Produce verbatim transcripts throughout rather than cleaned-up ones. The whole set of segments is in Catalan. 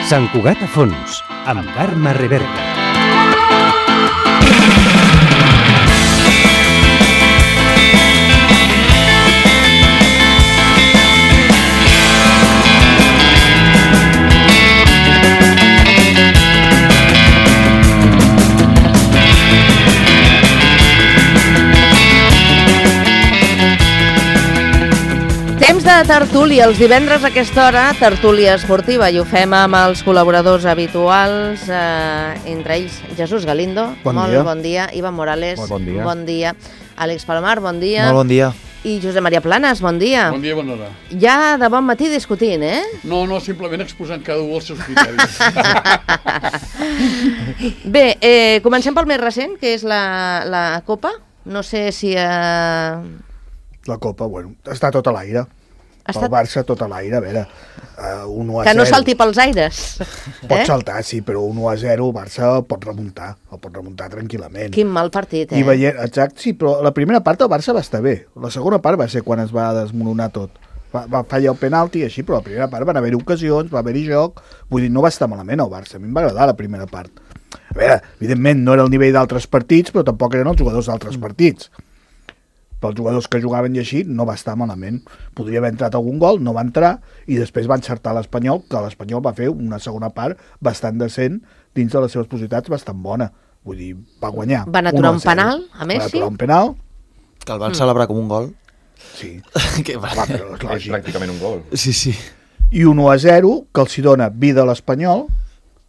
Sant Cugat a fons, amb Carme Reverta. Temps de tertúlia, els divendres a aquesta hora, tertúlia esportiva, i ho fem amb els col·laboradors habituals, eh, entre ells Jesús Galindo, bon molt dia. bon dia, Ivan Morales, bon dia. bon dia, Àlex Palomar, bon dia, molt bon dia, i Josep Maria Planes, bon dia. Bon dia, bona hora. Ja de bon matí discutint, eh? No, no, simplement exposant cada un els seus criteris. Bé, eh, comencem pel més recent, que és la, la Copa. No sé si... Eh... La Copa, bueno, està tot a l'aire. Estat... El Barça tot a l'aire, a veure, uh, un u a zero. Que no salti pels aires. Pot eh? saltar, sí, però un u a zero el Barça pot remuntar, el pot remuntar tranquil·lament. Quin mal partit, eh? I veient, exacte, sí, però la primera part el Barça va estar bé. La segona part va ser quan es va desmoronar tot. Va, va fallar el penalti i així, però la primera part van haver-hi ocasions, va haver-hi joc, vull dir, no va estar malament el Barça, a mi em va agradar la primera part. A veure, evidentment no era el nivell d'altres partits, però tampoc eren els jugadors d'altres partits. Pels jugadors que jugaven i així no va estar malament. Podria haver entrat algun gol, no va entrar, i després va encertar l'Espanyol, que l'Espanyol va fer una segona part bastant decent, dins de les seves possibilitats bastant bona. Vull dir, va guanyar. Van aturar un penal, a Messi? Van aturar un penal. Que el van mm. celebrar com un gol. Sí. que va. Va, però és lògic. És pràcticament un gol. Sí, sí. I un u a zero, que els hi dona vida a l'Espanyol,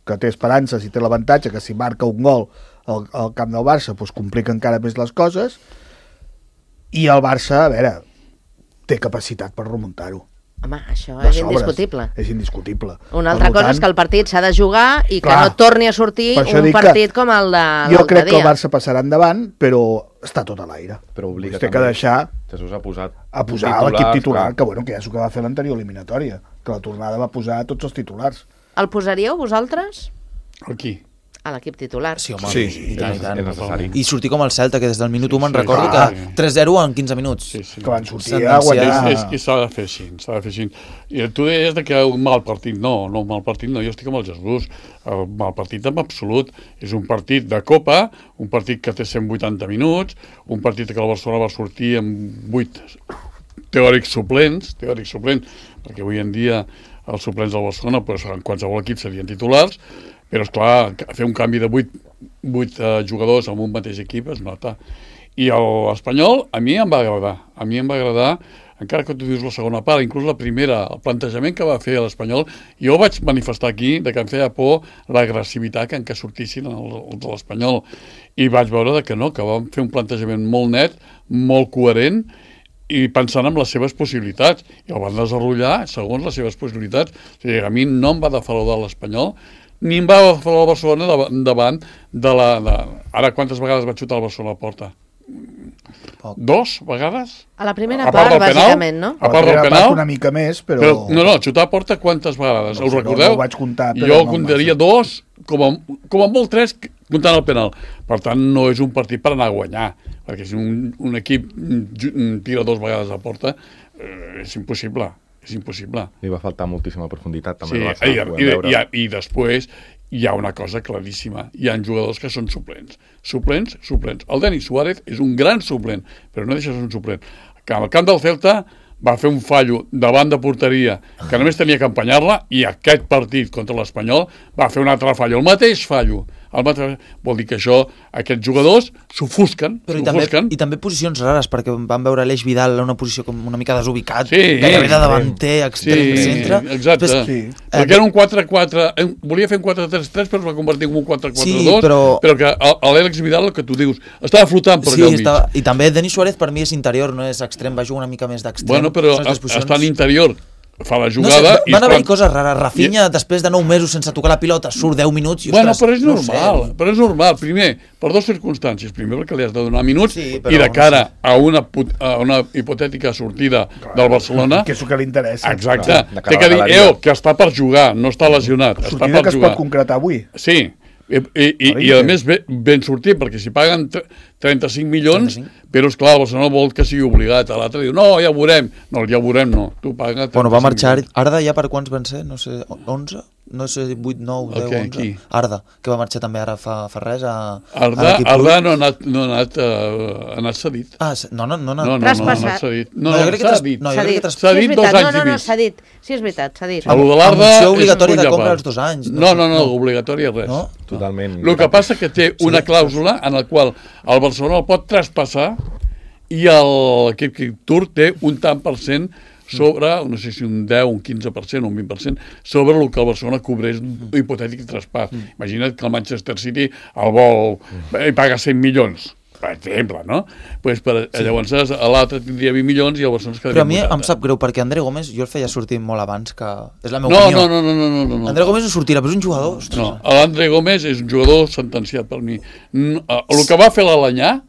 que té esperances i té l'avantatge que si marca un gol al, al camp del Barça, doncs complica encara més les coses. I el Barça, a veure, té capacitat per remuntar-ho. Home, això De és sobres, indiscutible. És indiscutible. Una altra cosa és que el partit s'ha de jugar i que clar, no torni a sortir un partit com el de l'altre dia. Jo crec que el Barça passarà endavant, però està tot a l'aire. Però obliga té que deixar Jesús ha posat a posar l'equip titular, que, bueno, que ja és el que va fer l'anterior eliminatòria, que la tornada va posar tots els titulars. El posaríeu vosaltres? Aquí. A l'equip titular. Sí, home, sí, i tant, i tant. És necessari. I sortir com el Celta, que des del minut Sí, u me'n sí, recordo clar. que tres zero en quinze minuts. Sí, sí. Que van sortir Sentència- a guanyar. És, és, s'ha de fer així, s'ha de fer així. I tu deies de que un mal partit, no, no, un mal partit no, jo estic amb el Jesús, el mal partit en absolut, és un partit de Copa, un partit que té cent vuitanta minuts, un partit que el Barcelona va sortir amb vuit teòrics suplents, teòrics suplents, perquè avui en dia els suplents del Barcelona, doncs, en qualsevol equip serien titulars, però, esclar, fer un canvi de vuit, vuit uh, jugadors en un mateix equip es nota. I l'Espanyol, a mi em va agradar. A mi em va agradar, encara que tu dius la segona part, inclús la primera, el plantejament que va fer l'Espanyol, jo vaig manifestar aquí de que em feia por l'agressivitat en què sortissin els de l'Espanyol. I vaig veure que no, que van fer un plantejament molt net, molt coherent, i pensant en les seves possibilitats. I el van desenvolupar segons les seves possibilitats. O sigui, a mi no em va defraudar l'Espanyol, ni em va defraudar el Barcelona davant de la... De... Ara, quantes vegades va xutar el Barcelona a la porta? Poc. Dos vegades? A la primera A part part, del penal? bàsicament, no? A part del penal? Una mica més, però... Però, no, no, xutar a porta quantes vegades? No Us sé, recordeu? no ho vaig comptar, però jo no comptaria massa. dos, com a, com a molt tres, comptant el penal. Per tant, no és un partit per anar a guanyar, perquè si un, un equip tira dos vegades a porta, eh, és impossible, és impossible. Li va faltar moltíssima profunditat, també. Sí, el Barça, i, ho vam i, veure. i, i després hi ha una cosa claríssima. Hi ha jugadors que són suplents. Suplents, suplents. El Denis Suárez és un gran suplent, però no deixa de ser un suplent. Que al camp del Celta va fer un fallo davant de porteria que només tenia que empenyar-la, i aquest partit contra l'Espanyol va fer un altre fallo, el mateix fallo. El mateix... Vol dir que això, aquests jugadors s'ofusquen, Però i també, s'ofusquen. i també posicions rares, perquè vam veure l'Eix Vidal en una posició com una mica desubicat, Sí, gairebé de davanter, extrem, sí, centre. exacte. Després, Sí. Perquè era un quatre quatre... Volia fer un quatre tres tres, però es va convertir en un quatre quatre dos. Sí, però- però que l'Àlex Vidal, el que tu dius, estava flotant per sí, allà al mig. estava... I també Denis Suárez per mi és interior, no és extrem, va jugar una mica més d'extrem. Bueno, però Són les posicions- està en interior, fa la No sé, jugada... i van haver-hi quan- coses rares. Rafinha, després de nou mesos sense tocar la pilota, surt deu minuts i, Bueno, ostres, però és no normal, sé. però és normal. Primer, per dues circumstàncies. Primer, perquè li has de donar minuts, Sí, però i de no cara sé. a, una, put- a una hipotètica sortida del Barcelona... Que és el que li interessa. Exacte. Clar, de cara Té a que la dir, galeria. eo, que està per jugar, no està lesionat, està Sortida per que es jugar. pot concretar avui. Sí, i, i, i, i a més ben, ben sortit, perquè si paguen trenta-cinc milions, trenta-cinc. però, esclar, el Barcelona vol que sigui obligat. A l'altre diu, no, ja ho veurem. No, ja ho veurem, no. Tu paga Bueno, va marxar milions. Arda ja per quants van ser? No sé, onze? No sé, vuit, nou, deu, Okay, onze? qui? Arda, que va marxar també ara fa, fa res a, Arda, a l'equip Arda Puig. no ha anat, no ha anat, uh, ha anat cedit. Ah, se- no, no, no, no. No, no, no, no, Traspassat. ha anat cedit. No, No, no, jo crec que s'ha tras- dit. no, jo S'ha crec dit. que tras- S'ha Sí, és dit dos veritat. anys no, i no, no, mig. s'ha dit. Sí, és veritat, s'ha dit. El de Amb l'Arda opció és obligatòria un de punt compra a als part. dos anys. No, no, no, obligatòria res. No? Totalment. El que passa que té una clàusula en la qual el Barcelona el pot traspassar i el- l'equip Tour té un tant per cent sobre, no sé si un deu, un quinze per cent o un vint per cent, sobre el que el Barcelona cobreix un hipotètic traspàs. Imagina't que el Manchester City el vol i paga cent milions, per exemple, no? Pues per, sí. Llavors l'altre tindria vint milions i el Barcelona es quedaria Però a mi vuitanta. em sap greu, perquè André Gómez jo el feia sortir molt abans, que és la meva No, opinió. no, no, no, no, no, no. André Gómez no sortirà, però és un jugador. Ostres. No, l'André Gómez és un jugador sentenciat per mi. No, el que va fer l'Alenyà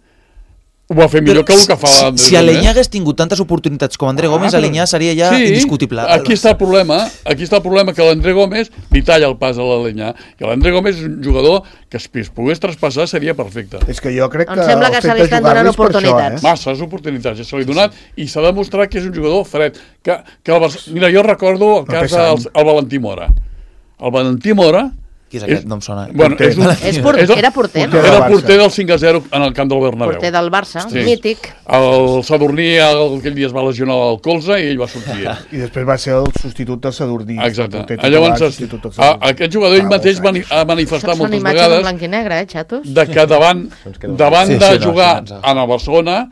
ho va fer millor Però que el que fa si- l'André Si Gómez. Alenyà hagués tingut tantes oportunitats com André Gómez, Ah, però- Alenyà seria ja sí, indiscutible. Aquí està el problema, aquí està el problema que l'André Gómez li talla el pas a l'Alenyà. I l'André Gómez és un jugador que si es pogués traspassar seria perfecte. És que jo crec Em que sembla el que fet se li de estan jugar-li donant és per això, oportunitats. eh? Masses oportunitats ja se li ha donat i s'ha demostrat que és un jugador fred. Que, que el Barça... Mira, jo recordo el té cas sang. del el Valentí Mora. El Valentí Mora... Qui és aquest? No em sona. Bueno, és un, És por- és el- era porter, no? Porter Era del el Barça. porter del cinc a zero en el camp del Bernabéu. Porter del Barça, Sí. mític. El Sadurní el- aquell dia es va lesionar el colze i ell va sortir. I després va ser el substitut de Sadurní. Exacte. el porter Ah, titular, Llavors, substitut del a, Sadurní. aquest jugador ell Fa mateix molts mani, anys. ha manifestat Són moltes imatges en vegades blanc i negre, eh, xatos? de que davant, Ens queda un davant Sí, de sí, no, doncs, jugar sí, ens- en el Barcelona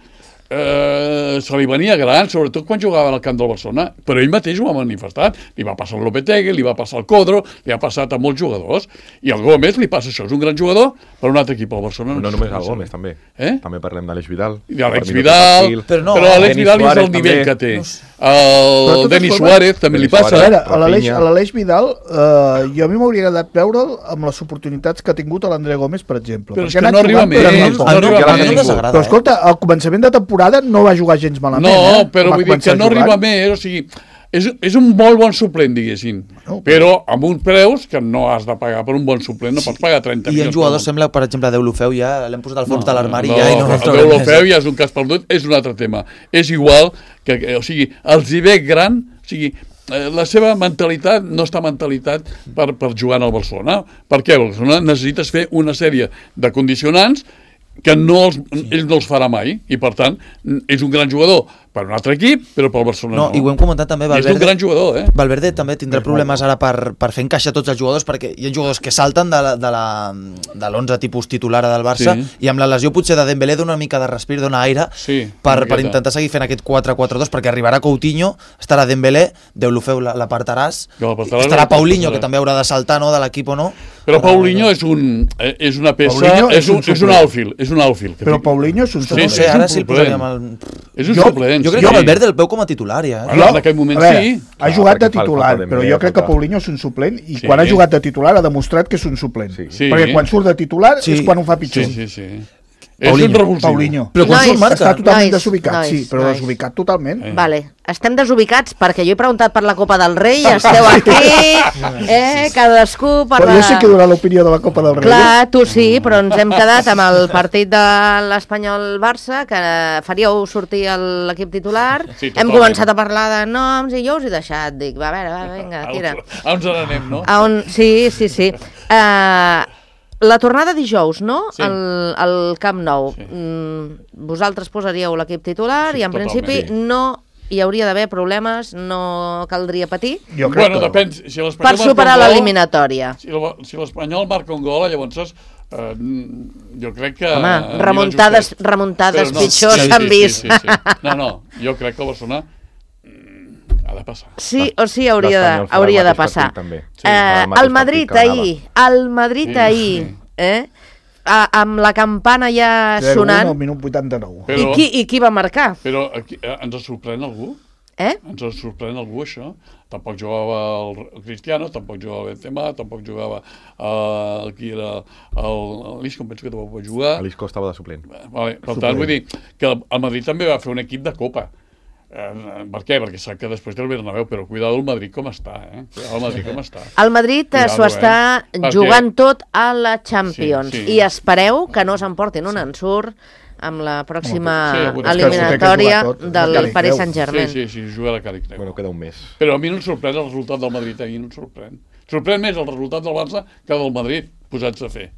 eh, se li venia gran, sobretot quan jugava al camp del Barcelona, però ell mateix ho ha manifestat. Li va passar al Lopetegui, li va passar al Codro, li ha passat a molts jugadors, i al Gómez li passa això, és un gran jugador per un altre equip al Barcelona. No només el Gómez, també. Eh? També parlem d'Àlex Vidal. I Àlex Per mi no té Vidal, perfil. Però no, però Àlex Denis Vidal és Suárez el nivell també. que té. Però de El totes Denis formes- Suárez també li Denis A passa. veure, Suárez. a l'Aleix Rafinha. a l'Aleix Vidal, eh, jo a mi m'hauria agradat veure'l amb les oportunitats que ha tingut l'André Gómez, per exemple. Però és Perquè que ha no anat arriba jugant, però més, no no pot. A mi no, arriba a mi no més. em desagrada. Però eh? escolta, al començament de temporada no va jugar gens malament, No, eh? però Va vull dir començar que no jugant. arriba més, o sigui, és, és un molt bon suplent, diguéssim, No, però amb uns preus que no has de pagar per un bon suplent, no pots pagar trenta I milions. en jugadors per un. sembla, per exemple, Deulofeu ja l'hem posat al fons No, de l'armari no, ja i no el el trobarem més. Deulofeu ja és un cas perdut, és un altre tema. És igual que, que o sigui, els hi ve gran, o sigui, eh, la seva mentalitat no està mentalitat per, per jugar al Barcelona. Per què? El Barcelona necessites fer una sèrie de condicionants que no els, sí. ell no els farà mai, i per tant és un gran jugador per un altre equip, però pel Barcelona No, no. i ho hem comentat també, I és un Valverde, gran jugador, eh? Valverde també tindrà És problemes ara per, per fer encaixar tots els jugadors, perquè hi ha jugadors que salten de la- de la- de l'onze tipus titular del Barça, Sí. i amb la lesió potser de Dembélé dona una mica de respir, dona aire, Sí, per, una per miqueta. intentar seguir fent aquest quatre quatre dos, perquè arribarà Coutinho, estarà Dembélé, Deulofeu l'apartaràs, Que l'apartaràs, estarà Paulinho, l'apartaràs. que també haurà de saltar, no?, de l'equip o no. Però Paulinho és, un, eh, és una peça, Paulinho és, és un, un és un suplent. outfield, és un outfield. que Però fica- Paulinho és un Sí, No suplent. sé, és un ara sí el suplent. posaríem al... És un Jo- suplent, Jo crec sí. que Valverde el veu com a titular, ja. Eh? Bueno, en aquell moment a veure, sí. ha Clar, jugat de perquè fa el titular, falta de però Dembélé, jo crec que total. Paulinho és un suplent i Sí. quan ha jugat de titular ha demostrat que és un suplent. Sí. Sí. Perquè quan surt de titular Sí. és quan ho fa pitjor. Sí, sí, sí. És Paulinho. un revulsiu. Paulinho. Però quan Nois, surt marca. Està totalment Nois, desubicat, nois, sí, però nois. desubicat totalment. Eh. Vale, estem desubicats perquè jo he preguntat per la Copa del Rei i esteu aquí, eh, cadascú per Però la... jo sé que durarà l'opinió de la Copa del Rei. Clar, tu sí, però ens hem quedat amb el partit de l'Espanyol-Barça, que faríeu sortir el- l'equip titular. Sí, Hem totalment. començat a parlar de noms i jo us he deixat. Dic, va, a veure, va, vinga, tira. A on anem, no? A on... Sí, sí, sí. Uh, la tornada dijous, no? Sí. Al, al Camp Nou. Sí. Mm, vosaltres posaríeu l'equip titular Sí, i en totalment. principi Sí. no hi hauria d'haver problemes, no caldria patir Jo crec Bueno, que... depèn. Si l'Espanyol per marca superar un gol- l'eliminatòria. Si el- si l'Espanyol marca un gol, llavors eh, jo crec que... Home, anirà remuntades, justet. remuntades Però pitjors sí, s'han sí, vist. Sí, sí, sí. No, no, jo crec que el Barcelona mm, ha de passar. Sí o sí hauria de, L'Espanyol farà hauria el de mateix passar. partit, també. Sí, Eh, farà el mateix el Madrid partit que ahir, el Madrid Sí, ahir, sí. eh? A, amb la campana ja zero un al sonant. minut vuitanta-nou. Però- I qui, I qui va marcar? Però aquí, eh, ens sorprèn algú? Eh? Ens sorprèn algú, això? Tampoc jugava el el Cristiano, tampoc jugava el Benzema, tampoc jugava eh, el qui era el l'Isco, em penso que tampoc va jugar. L'Isco estava de suplent. Vale, per tant, vull dir que el Madrid també va fer un equip de Copa. Eh, per què? Perquè sap que després té el Bernabéu, però cuidado el Madrid com està, eh? Cuidado el Madrid com està. El Madrid eh, s'ho Cuidado, està eh? Perquè- jugant tot a la Champions Sí, sí. i espereu que no s'emportin un ensurt amb la pròxima Sí, sí, és que eliminatòria s'ho té que jugar tot, del la Càlig Paris Creu. Saint-Germain. Sí, sí, sí, juga a la Càlig Creu. Bueno, queda un mes. Però a mi no em sorprèn el resultat del Madrid ahir, no em sorprèn. Sorprèn més el resultat del Barça que del Madrid, posats a fer.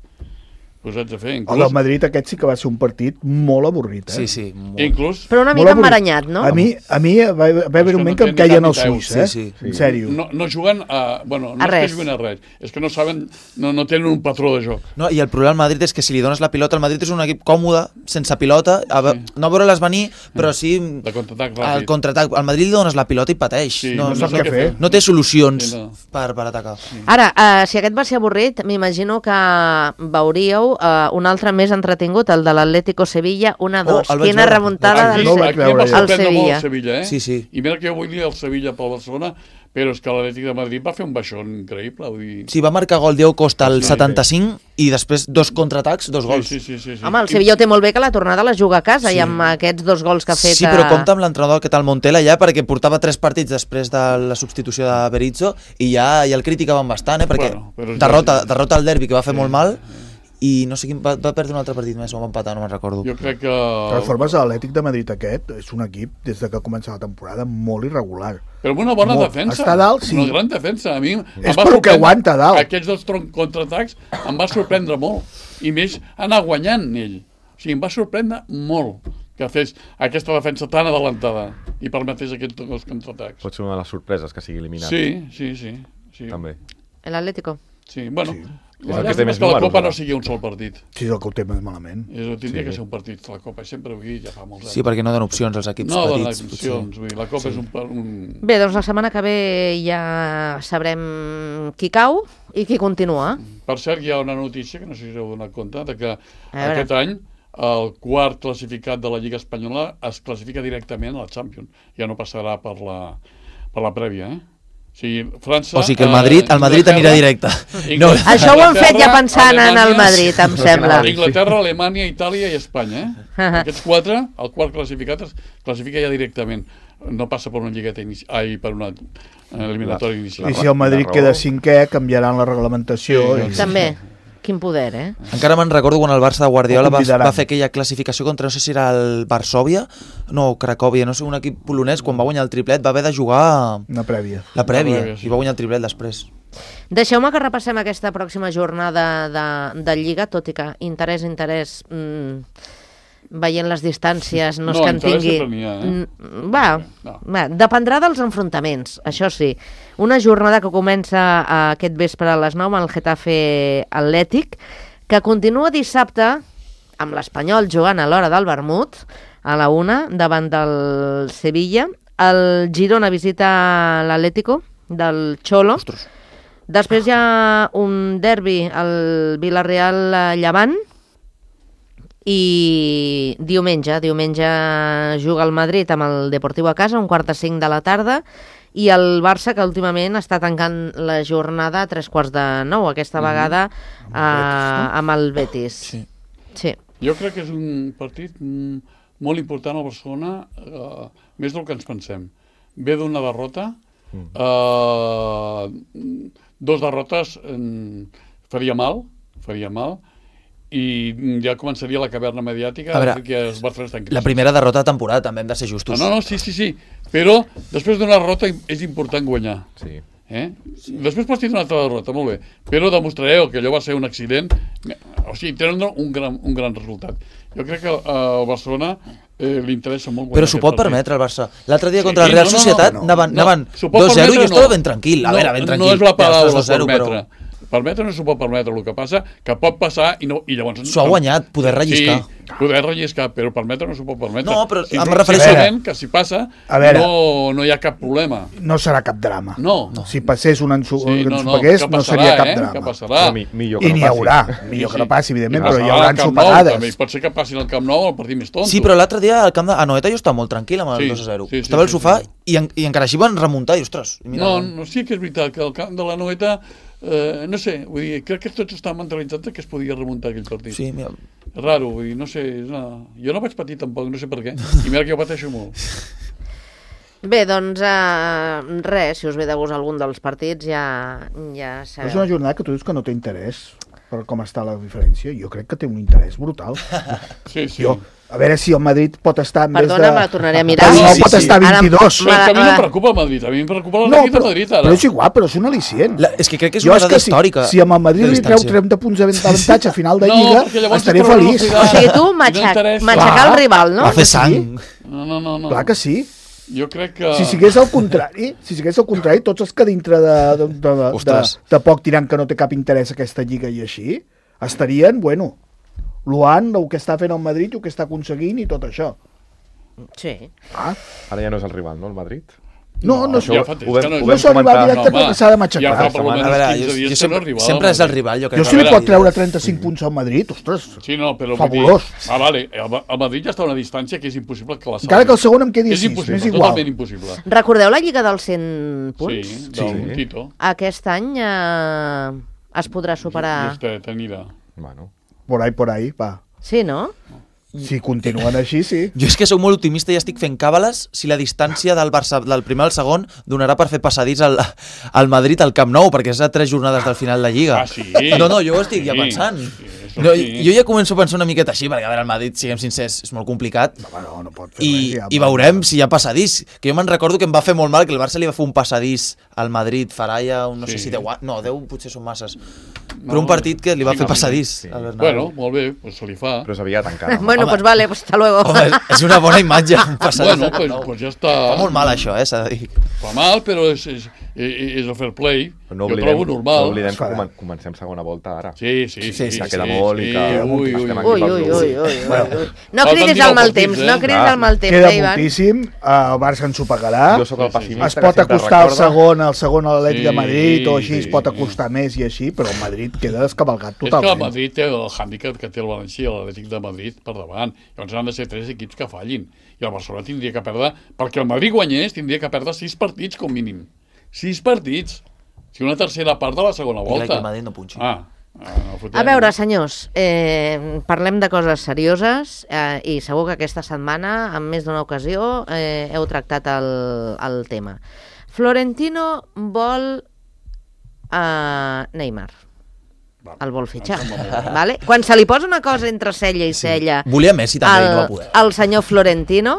Posats a fer, El inclús... del Madrid aquest sí que va ser un partit molt avorrit, eh? Sí, sí. Molt... Inclús... Però una Molt mica avorrit. embaranyat, no? A mi, a mi va, va haver que un moment no que em té ni caien cap els ni peus. ulls, eh? Sí, sí. En sèrio. No, no juguen a... Bueno, no A és res. que juguen a res, és que no saben, no, no tenen un patró de joc. No, i el problema del Madrid és que si li dones la pilota, el Madrid és un equip còmode, sense pilota, a, ve- Sí. no veure-les venir, però sí De contraatac al ràpid. contraatac. Al Madrid li dones la pilota i pateix. Sí, no, no sap no, què fer. no té solucions Sí, no. per, per atacar. Ara, eh, si aquest va ser avorrit, m'imagino que veuríeu eh, un altre més entretingut, el de l'Atlético Sevilla, una dos. Oh, el vaig Quina veure. remuntada Aquí, del no el Se- vaig aquí em va veure jo. al sorprendre molt Sevilla. el Sevilla, eh? Sí, sí. I mira que jo vull dir el Sevilla pel Barcelona, però és que l'Atlètic de Madrid va fer un baixón increïble. Vull dir... Sí, va marcar gol Diego Costa al Sí, setanta-cinc i després dos contraatacs, dos gols. Sí, sí, sí, sí. Home, el Sevilla ho té molt bé que la tornada la juga a casa i amb aquests dos gols que ha fet... Sí, però eh, compta amb l'entrenador que tal Montela ja, perquè portava tres partits després de la substitució de Berizzo i ja, ja el criticaven bastant, eh, perquè Bueno, però és derrota, lògic. derrota al derbi que va fer molt mal i no sé quin, va, va perdre un altre partit més o va empatar, no me'n recordo. Jo crec que... De totes formes, l'Atlètic de Madrid aquest és un equip, des de que comença la temporada, molt irregular. Però amb una bona Molt. defensa. Està dalt, sí. Una gran defensa. A mi em És va pel que sorprendre- aguanta dalt. Aquests dos tron- contraatacs em va sorprendre molt. I més, anar guanyant ell. O sigui, em va sorprendre molt que fes aquesta defensa tan adelantada i permetés aquests dos contraatacs. Pot ser una de les sorpreses que sigui eliminat. Sí, sí, sí. sí. També. L'Atlético. Sí, bueno, Sí. És la el que té llàstima més és que la números, Copa ara. no sigui un sol partit. Sí, és el que ho té més malament. És, tindria Sí. que ser un partit, la Copa. Sempre ho he dit, ja fa molts anys. Sí, perquè no donen opcions als equips no donen petits. potser. opcions. Vull dir, la Copa sí. és un, par- un... Bé, doncs la setmana que ve ja sabrem qui cau i qui continua. Per cert, hi ha una notícia que no sé si us heu donat compte, de que veure. aquest any el quart classificat de la Lliga Espanyola es classifica directament a la Champions. Ja no passarà per la, per la prèvia, eh? O sigui, França... O sigui que el Madrid, el Madrid anirà directe. No. Inglaterra, Això ho han fet ja pensant en el Alemanya, Madrid, em sembla. Inglaterra, Alemanya, Itàlia i Espanya, eh? Aquests quatre, el quart classificat es classifica ja directament. No passa per una lligueta inici... Ai, per una eh, eliminatòria inicial. I si el Madrid raó. queda cinquè, canviaran la reglamentació. Sí, i... També. Quin poder, eh? Encara me'n recordo quan el Barça de Guardiola Ho va, convidaran. va fer aquella classificació contra, no sé si era el Varsòvia, no, Cracòvia, no sé, un equip polonès, quan va guanyar el triplet va haver de jugar Una prèvia. la prèvia, La prèvia, sí. i va guanyar el triplet després. Deixeu-me que repassem aquesta pròxima jornada de, de Lliga, tot i que interès, interès, mmm, veient les distàncies, no, és No, que en interès tingui... sempre n'hi ha, eh? Mm, Va, No. va, dependrà dels enfrontaments, això sí. Una jornada que comença eh, aquest vespre a les nou amb el Getafe Atlètic, que continua dissabte amb l'Espanyol jugant a l'hora del vermut, a la una, davant del Sevilla. El Girona visita l'Atlético del Cholo. Ostres. Després hi ha un derbi al Villarreal-Llevant i diumenge, diumenge juga el Madrid amb el Deportiu a casa, un quart de cinc de la tarda, i el Barça, que últimament està tancant la jornada a tres quarts de nou, aquesta vegada eh, amb el Betis. Sí. Sí. Jo crec que és un partit mm, molt important al Barcelona, eh, més del que ens pensem. Ve d'una derrota, eh, dos derrotes eh, faria mal, faria mal, i ja començaria la caverna mediàtica, A veure, que els Barcelona estan en crisi. La primera derrota de temporada, també hem de ser justos. No, no, no, sí, sí, sí, però després d'una derrota és important guanyar. Sí. Eh? Sí. Després pots tindre una altra derrota, molt bé, però demostrareu que allò va ser un accident, o sigui, tenen un gran, un gran resultat. Jo crec que uh, al Barcelona eh, li interessa molt guanyar. Però s'ho pot aquest partit. permetre el Barça. L'altre dia Sí, contra la no, Real no, no, Societat no, anaven, No, anaven s'ho pot dos zero i permetre, jo estava no. ben tranquil. A no, veure, ben tranquil. No és la Ja paraula, estàs dos zero, permetre. però Permetre no s'ho pot permetre, el que passa que pot passar i, no, i llavors... s'ho ha guanyat, poder relliscar. Sí, poder relliscar, però permetre no s'ho pot permetre. No, però sí, em sí, refereixo- sí, que si passa A veure. no, no hi ha cap problema. No serà cap drama. No. Si passés un ensu Sí, que no, ens no, pagués, que no passarà, seria cap eh? drama. Que passarà. Però mi, millor que I no n'hi passi. haurà. Millor que no passi, evidentment, però hi Passarà haurà al Camp Nou, ensopegades. també. Pot ser que passin al Camp Nou el partit més tonto. Sí, però l'altre dia al camp de Anoeta jo estava molt tranquil amb el Sí, dos a zero. sí, sí, Estava al sí, sofà sí. i, en, i encara així van remuntar i, ostres, mira, No, no, sí que és veritat que el camp de la Noeta, eh, no sé, vull dir, crec que tots estan mentalitzats que es podia remuntar aquell partit. Sí, mira, És raro, vull dir, no sé, és una... jo no vaig patir tampoc, no sé per què, i mira que jo pateixo molt. Bé, doncs eh, res, si us ve de gust algun dels partits ja, ja Però és sabeu. una jornada que tu dius que no té interès. per com està la diferència. Jo crec que té un interès brutal. Sí, sí. Jo, a veure si el Madrid pot estar en Perdona, vez de... me la tornaré a mirar. No, Sí, sí, pot sí. estar a vint-i-dos. Però és que a mi no em preocupa el Madrid, a mi em preocupa No, l'equip de però, Madrid ara. però és igual, però és un al·licient. La, és que crec que és Jo una és dada que si, històrica. si amb el Madrid de li treu distància. trenta punts d'avantatge a final de No, Lliga, perquè llavors estaré té prou feliç. velocitat. O sigui, tu No matxac, interessa. matxacar Clar. el rival, no? Va fer sí. sang. No, no, no. no. Clar que sí. Jo crec que... Si sigués al contrari, si sigués al contrari, tots els que dintre de, de, de, de, Ostres. de poc tirant que no té cap interès aquesta Lliga i així, estarien, bueno, loant el que està fent el Madrid i el que està aconseguint i tot això. Sí. Ah, Ara ja no és el rival, no, el Madrid? no, no, això no, ja fa temps ho vam- que no, ho no vam s'ha arribat comentar. directe home, perquè s'ha de matxacar. Ja fa per A almenys veure, quinze jo, dies jo que no sempre, arriba. sempre és el rival, jo crec. Jo si A li veure, pot treure trenta-cinc punts al Madrid, ostres, Sí, no, però... vull Fabulós. Dir, ah, vale, el, el Madrid ja està a una distància que és impossible que la salvi. encara que el segon em quedi És a sis, impossible, m'és igual. totalment impossible. Recordeu la Lliga dels cent punts? Sí, del Sí. Tito. Aquest any eh, es podrà superar... Este, tenida. Bueno, Por ahí, por ahí, va. Sí, no? Si continuen així, sí. Jo és que sóc molt optimista i estic fent càbales si la distància del, Barça, del primer al segon donarà per fer passadís al, al Madrid al Camp Nou, perquè és a tres jornades del final de Lliga. Ah, sí? No, no, jo ho estic ja Sí, pensant. sí, això No, sí. jo ja començo a pensar una miqueta així, perquè a veure, el Madrid, siguem sincers, és molt complicat. Home, no, no pot fer I, res, ja, i veurem si hi ha passadís. Que jo me'n recordo que em va fer molt mal que el Barça li va fer un passadís al Madrid, Faraya, un, no Sí. sé si deu... No, deu potser són masses. No, Però un partit que li va sí, fer no, passadís sí. al Bernabéu. Bueno, molt bé, pues se li fa. però és aviat encara. Bueno, Home. pues vale, pues hasta luego. Home, és una bona imatge, un passadís Bueno, al Camp pues, Nou. pues ja està... Fa molt mal això, eh, s'ha de dir. Fa mal, però és, és, és el fair play. No jo oblidem, trobo normal. no oblidem Es que farà. comen- comencem segona volta ara. Sí, sí, sí. Sí, sí, ja queda sí, molt i sí, que ui, ui, estem ui. aquí Ui, pels ui, grups. ui, ui, ui, ui. No Falten cridis dinou al mal partits, temps, eh? no cridis Clar. al mal temps, Queda eh, Ivan? moltíssim, eh, el Barça ens ho pagarà. Jo sóc el Sí, sí, sí. pessimista Es que pot sempre acostar al recorda. segon, al segon a l'Atlètic Sí, de Madrid o així, sí, es pot sí. acostar més i així, però el Madrid queda descabalgat És que el totalment. Madrid té el hàndicap que té el València i l'Atlètic de Madrid per davant. Llavors han de ser tres equips que fallin. I el Barcelona tindria que perdre... Perquè el Madrid guanyés, tindria que perdre sis partits com mínim. Sis partits. Si una tercera part de la segona I clar, que volta. el Madrid no punxi. Ah, ah, no fotem. A veure, senyors, eh, parlem de coses serioses eh, i segur que aquesta setmana, en més d'una ocasió, eh, heu tractat el, el tema. Florentino vol eh, Neymar. Va, El vol fitxar. em sembla molt bé. Vale? Quan se li posa una cosa entre cella i cella Volia Messi també, i no va al, poder. al senyor Florentino,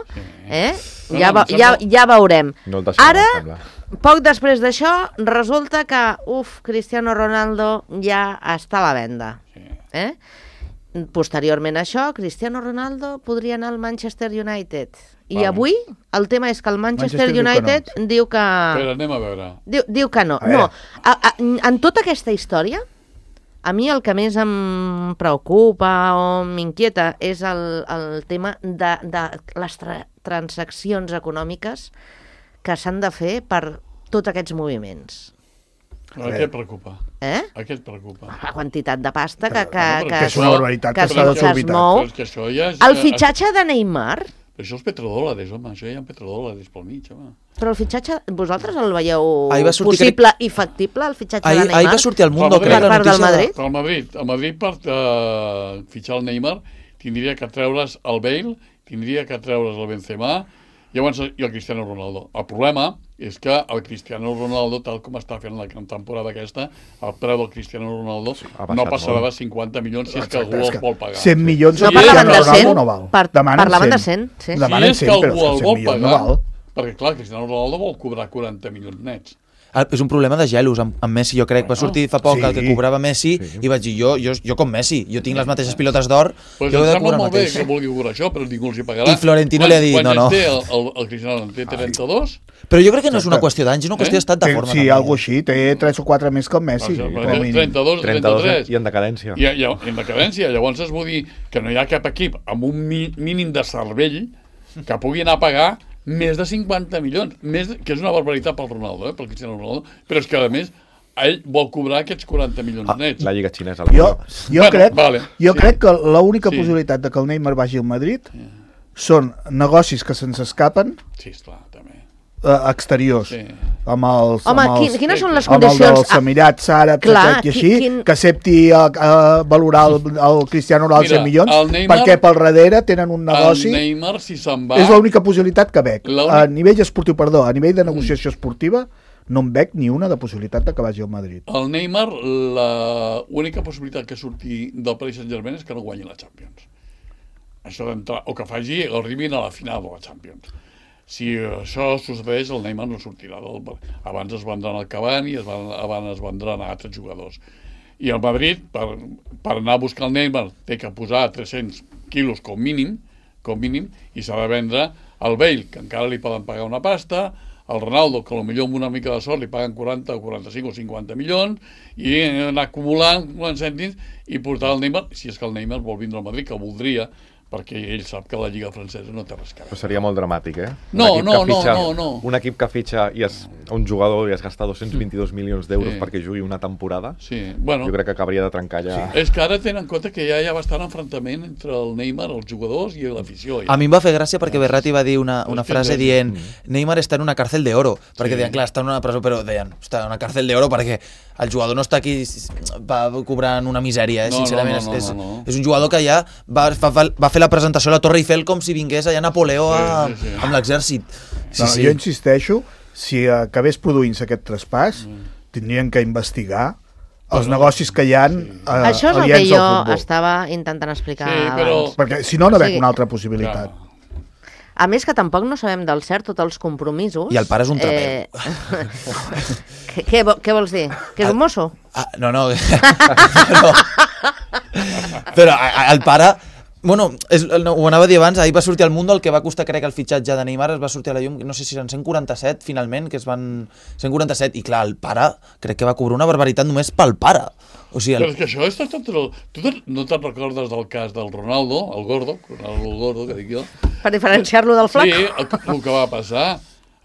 eh? No, ja, no, va, em ja, sembla- ja veurem. No el deixarem, Ara, em sembla. poc després d'això, resulta que, uf, Cristiano Ronaldo ja està a la venda. Sí. Eh? Posteriorment a això, Cristiano Ronaldo podria anar al Manchester United. I Vale. avui el tema és que el Manchester, Manchester diu que United no. diu que... Però anem a veure. Diu, diu que no. A veure. No, a, a, en tota aquesta història, a mi el que més em preocupa o m'inquieta és el, el tema de, de les tra transaccions econòmiques que s'han de fer per tots aquests moviments. A què et preocupa? Eh? A què et preocupa? La quantitat de pasta que, que, Bueno, que, perquè és una barbaritat que, que es- està que es desorbitat. mou. Però és que això ja és... El fitxatge de Neymar, Això és petrodòlars, home. Això ja hi ha petrodòlars pel mig, home. però el fitxatge, vosaltres el veieu Ahir va sortir, possible i factible, el fitxatge Ahir, de Neymar? ahir va sortir al Mundo, Per crec, la part del notícia... Madrid? Però el Madrid, el Madrid per uh, fitxar el Neymar tindria que treure's el Bale, tindria que treure's el Benzema i llavors i el Cristiano Ronaldo. El problema és que el Cristiano Ronaldo, tal com està fent la temporada aquesta, el preu del Cristiano Ronaldo Ha baixat no passarà molt. de cinquanta milions si és que Exacte, algú és el que vol pagar. cent milions No de parlaven de Cristiano cent, Ronaldo no val. par- Demanen parlaven de cent. cent, sí. Demanen si és cent, que però algú el cent vol milions pagar, no val. perquè clar, Cristiano Ronaldo vol cobrar quaranta milions nets. Ah, és un problema de gelos amb, amb Messi, jo crec. Va sortir fa poc Sí. el que cobrava Messi Sí. i vaig dir, jo, jo, jo com Messi, jo tinc les mateixes pilotes d'or, Pues jo em he de sembla cobrar el molt bé mateix. que vulgui cobrar això, però ningú els hi pagarà. I Florentino li ha dit, no, no. Quants anys té el, el, el Cristiano? En té trenta-dos? Però jo crec que no és una qüestió d'anys, és una qüestió Eh? d'estat de Té- forma. Sí, també. algo així, té tres o quatre més que el Messi. Sí, com a mínim. trenta-dos, trenta-dos trenta-tres. i en decadència. I, i, en decadència. Llavors es vull dir que no hi ha cap equip amb un mi, mínim de cervell que pugui anar a pagar més de cinquanta milions, més de, que és una barbaritat pel Ronaldo, eh, pel Cristiano Ronaldo, però és que a més ell vol cobrar aquests quaranta milions Ah, nets. la lliga xinesa. Jo, jo, Bueno, crec, vale, jo sí. crec que l'única Sí. possibilitat de que el Neymar vagi al Madrid són negocis que se'ns escapen Sí, esclar, també. eh, exteriors. Sí. Amb els, Home, amb els, quin, quines són les amb el condicions? dels Emirats Àrabs clar, aquest i qui- així, quin- que accepti a, a valorar el, el Cristiano Ronaldo Mira, cent milions, el Neymar- perquè pel darrere tenen un negoci. El Neymar, si se'n va... És l'única possibilitat que veig. L'únic- A nivell esportiu, perdó, a nivell de negociació esportiva, no em veig ni una de possibilitat de que vagi al Madrid. El Neymar, l'única possibilitat que surti del Paris Saint-Germain és que no guanyi la Champions. Això d'entrar, o que faci, arribin a la final de la Champions. Si això succeeix, el Neymar no sortirà del... Abans es vendran al Cavani, es van, abans es vendran a altres jugadors. I el Madrid, per, per anar a buscar el Neymar, té que posar tres-cents quilos com mínim, com mínim, i s'ha de vendre el Bale, que encara li poden pagar una pasta, el Ronaldo, que potser amb una mica de sort li paguen quaranta, quaranta-cinc o cinquanta milions, i anar acumulant cèntims i portar el Neymar, si és que el Neymar vol vindre al Madrid, que voldria, perquè ell sap que la Lliga francesa no té res que veure. Però seria molt dramàtic, eh? No, Un equip no, que fitxa, no, no, no. Un equip que fitxa i es, un jugador i es gasta dos-cents vint-i-dos milions d'euros Sí. perquè jugui una temporada, Sí, bueno... jo crec que acabaria de trencar ja... Sí. És que ara tenen en compte que ja hi ha bastant enfrontament entre el Neymar, els jugadors i l'afició. Ja. A mi em va fer gràcia perquè Berratti va dir una, una Hòstia, frase sí. dient Neymar està en una cárcel de oro, perquè Sí. deien, clar, està en una presó, però deien, està en una cárcel de oro perquè el jugador no està aquí va cobrant una misèria, eh? No, Sincerament, no, no, és, no, no. és un jugador que ja va, va, va fer la presentació a la Torre Eiffel com si vingués allà Napoleó Sí, a, sí, sí. amb l'exèrcit. Sí, No, sí. Jo insisteixo, si acabés produint-se aquest traspàs, tindrien que investigar els negocis que hi ha sí. eh, Això és el que aliens jo al futbol. estava intentant explicar Sí, però- abans. Perquè si no, no veig Sí. una altra possibilitat. Clar. A més que tampoc no sabem del cert tots els compromisos. I el pare és un trapero. què, què, vo- què vols dir? Que és un mosso? Ah, no, no. Però, però a- a- el pare... Bueno, és, no, ho anava a dir abans, ahir va sortir al Mundo el que va costar, crec, el fitxatge de Neymar, es va sortir a la llum, no sé si eren cent quaranta-set, finalment, que es van... cent quaranta-set, i clar, el pare, crec que va cobrar una barbaritat només pel pare. O sigui, Però el... és que això és tot... tot el... Tu te- no te'n recordes del cas del Ronaldo, el gordo, el gordo que dic jo? Per diferenciar-lo del flac? Sí, el, el que va passar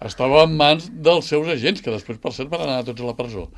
estava en mans dels seus agents, que després, per cert, van anar tots a la presó.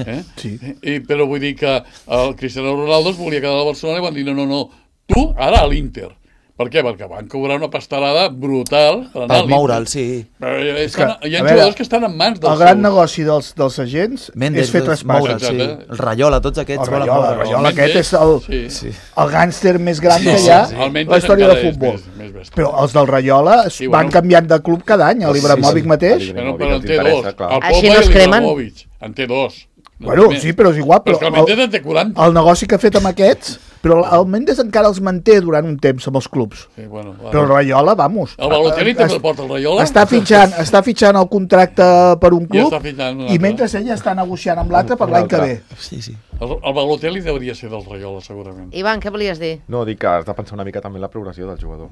Eh? Sí. I, però vull dir que el Cristiano Ronaldo es volia quedar a Barcelona i van dir no, no, no, tu ara a l'Inter. Per què? Perquè van cobrar una pastelada brutal per anar Per a l'Inter. moure'l, sí. Però hi ha, És que, hi ha a veure, jugadors que estan en mans dels El gran seus... negoci dels, dels agents Mendes, és fer traspassos. moure'l, sí. Exacte. El Rayola, tots aquests El volen Rayola, moure'l. el Rayola Mendes, aquest és el, sí. Sí. el gàngster més gran Sí, que sí, hi ha sí. El Mendes la història de encara és futbol. més- més bèstia. Però els del Rayola es Sí, van bueno. canviant de club cada any, l'Ibrahimovic Sí, sí. mateix. Però, Ibrahimovic però en els té interessa, dos. clar. El Així Pogba no es i cremen. l'Ibrahimovic. En té dos. No Bueno, té més. sí, però és igual. Però Però és que el el, Mendes en té quaranta. el negoci que ha fet amb aquests, però el Mendes encara els manté durant un temps amb els clubs. Sí, bueno, va. Però el Rayola, vamos. El Balotelli es- també el porta el Rayola. Està fitxant, està fitxant el contracte per un I club està fitxant un i altre. mentre ell està negociant amb l'altre per Un l'any que altre. ve. Sí, sí. El, el Balotelli hauria ser del Rayola, segurament. Ivan, què volies dir? No, dic que has de pensar una mica també en la progressió del jugador.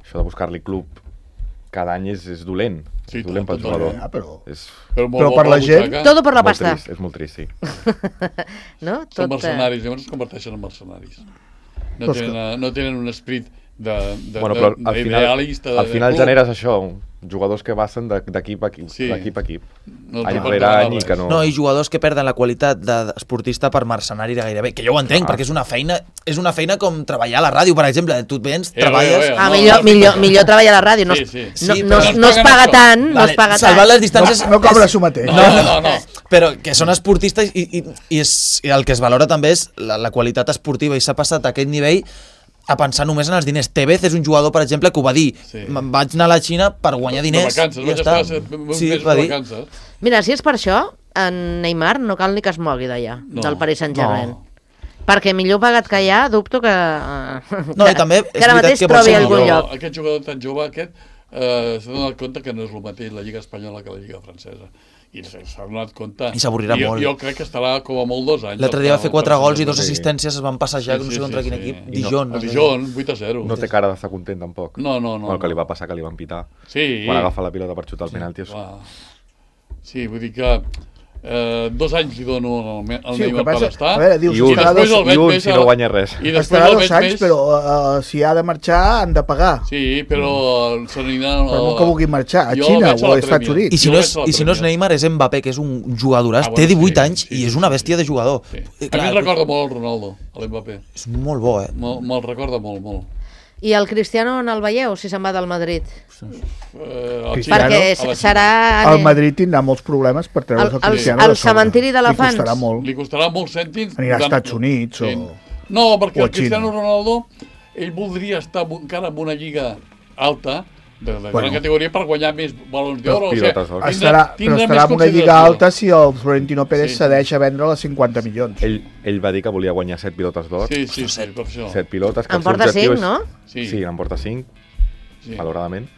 Això de buscar-li club cada any és, és dolent. Sí, és dolent pel totalment. jugador. Ja, però... És Però, molt Però bo per la gent- butxaca. Todo por la molt pasta. trist, és molt trist, sí. No? Són Tot, eh, mercenaris, llavors es converteixen en mercenaris. No Però és tenen, eh, no tenen un esperit de, de, Bueno, però de, al final, d'idealista, de, al final de club. generes això, jugadors que passen de- d'equip a equip, Sí. d'equip a equip. No any te rere porten any i res. que no... No, i jugadors que perden la qualitat d'esportista per mercenari gairebé, que jo ho entenc, Ah. perquè és una feina és una feina com treballar a la ràdio, per exemple. Tu et vens, Eh, treballes... eh, eh. Ah, No, millor, no, millor, no. millor treballar a la ràdio. No, Sí, es- sí. no, Sí, no, però es- no no es paguen paga això. tant, no Vale, es paga salvant tant. les distàncies... No cobra això mateix. No, no, no, no. Però que són esportistes i, i, i, és, i el que es valora també és la, la qualitat esportiva, i s'ha passat a aquest nivell a pensar només en els diners. Tevez és un jugador, per exemple, que ho va dir. Sí. Me'n vaig anar a la Xina per guanyar De diners. vacances, i vaig ja estar està. set mesos Sí, de va dir. vacances. Mira, si és per això, en Neymar no cal ni que es mogui d'allà, No, del Paris Saint-Germain. no. Perquè millor pagat que allà, dubto que... No, i també és que ara veritat mateix que pot trobi ser algun millor. lloc. Aquest jugador tan jove, aquest, eh, s'ha donat compte que no és el mateix la Lliga Espanyola que la Lliga Francesa. I s'ha donat compte... I s'avorrirà jo, molt. Jo crec que estarà com a molt dos anys. L'altre dia va fer quatre gols i dos Sí. assistències, es van passejar, no sé contra quin equip. I no- Dijon. A Dijon, vuit a zero. No té cara d'estar content, tampoc. No, no, no. El que li no. va passar que li van pitar. Sí. Quan agafa la pilota per xutar el penalti. és- Clar. Sí, vull dir que eh, dos anys li dono al, Me- al Sí, el que Neymar per passa... estar. A veure, dius, I un, estarà després dos, el veig i un més si a no la- guanya res. I després estarà el dos veig anys, més... però uh, si ha de marxar han de pagar. Sí, però se n'anirà... Però no que vulgui marxar, a Jo Xina el veig a o la als Estats Premier. Units. I si, Jo no vaig és, a la I si no és Premier. Neymar, és Mbappé, que és un jugadoràs, Ah, bueno, té divuit sí, anys sí, i sí, és una sí, bèstia de jugador. Sí. Eh, A mi clar, em recorda molt el Ronaldo, l'Mbappé. És molt bo, eh? Me'l me recorda molt, molt. I el Cristiano on el veieu, si se'n va del Madrid? Eh, al Cristiano, Xina, Perquè a la Xina. serà... El Madrid tindrà molts problemes per treure's El- el, el- Cristiano el de sobre. cementiri d'elefants. Li costarà molt. Li costarà molts cèntims. Anirà als Tant- Estats Units o- No, perquè o a el Cristiano Xina. Ronaldo, ell voldria estar encara en una lliga alta, de, de Bueno. gran categoria per guanyar més balons d'or. O sigui, Pilotes d'or. tindrà- Estarà, però tindrà estarà més en una lliga consideració. alta si el Florentino Pérez Sí, sí. cedeix a vendre les cinquanta milions. Ell, ell va dir que volia guanyar set pilotes d'or, Sí, sí, sí, per això. set pilotes, que En el seu porta objectiu cinc, és... no? Sí. Sí, en porta cinc, Sí. malauradament.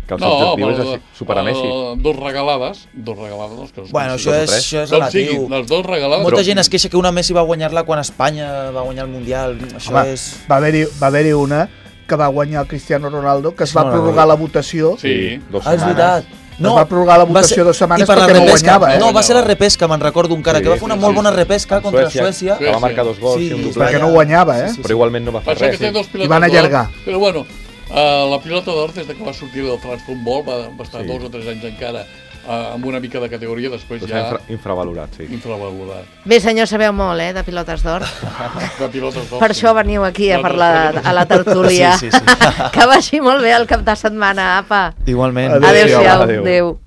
Que el seu objectiu és així- superar Messi. eh, dos regalades, dos regalades. Que Bueno, Sí, això dos o és, tres. això és Com sigui, relatiu. les dos regalades... Molta però- gent es queixa que una Messi va guanyar-la quan Espanya va guanyar el Mundial. Això Home, és... va haver-hi va haver una que va guanyar el Cristiano Ronaldo, que es Això va no la prorrogar veig. la votació. Sí. dos Ah, és setmanes. veritat. Es va prorrogar la va votació ser- dues setmanes i per la perquè no repesca. guanyava, eh? No, va ser la repesca, me'n recordo encara, Sí, que va fer una sí, molt sí. bona repesca contra Suècia, Suècia. que va marcar dos gols Sí, i un sí, doblat. Perquè no guanyava, eh? Sí, sí, Però igualment no va fer Passa que res. té Sí. dos pilotes I van d'or, allargar. Però bueno, uh, la pilota d'or, des de que va sortir del transfutbol, va, va estar Sí. dos o tres anys encara uh, amb una mica de categoria, després Doncs ja infra, infravalorat, sí. infravalorat. Bé, senyor, sabeu molt, eh, de pilotes d'or. De pilotes d'or. Per això veniu aquí a parlar a la tertúlia. Sí, sí, sí. Que vagi molt bé el cap de setmana, apa. Igualment. Adéu. Adéu-siau. Adéu. Adéu.